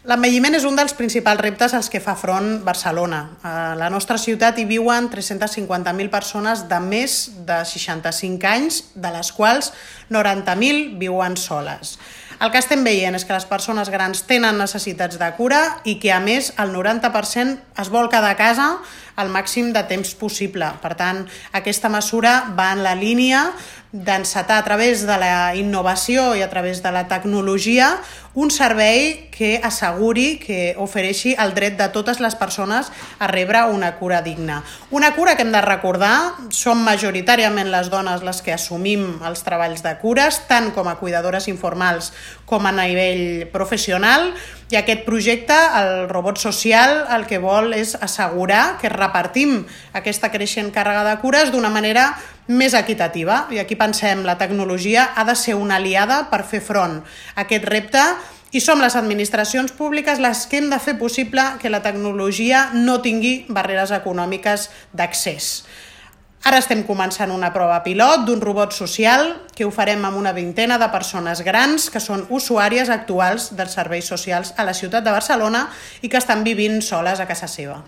L'envelliment és un dels principals reptes als que fa front Barcelona. A la nostra ciutat hi viuen 350.000 persones de més de 65 anys, de les quals 90.000 viuen soles. El que estem veient és que les persones grans tenen necessitats de cura i que, a més, el 90% es vol quedar a casa el màxim de temps possible. Per tant, aquesta mesura va en la línia d'encetar a través de la innovació i a través de la tecnologia un servei que asseguri, que ofereixi el dret de totes les persones a rebre una cura digna. Una cura que hem de recordar, som majoritàriament les dones les que assumim els treballs de cures, tant com a cuidadores informals com a nivell professional, i aquest projecte, el robot social, el que vol és assegurar que repartim aquesta creixent càrrega de cures d'una manera més equitativa. I aquí pensem, la tecnologia ha de ser una aliada per fer front a aquest repte i som les administracions públiques les que hem de fer possible que la tecnologia no tingui barreres econòmiques d'accés. Ara estem començant una prova pilot d'un robot social que ho farem amb una vintena de persones grans que són usuàries actuals dels serveis socials a la ciutat de Barcelona i que estan vivint soles a casa seva.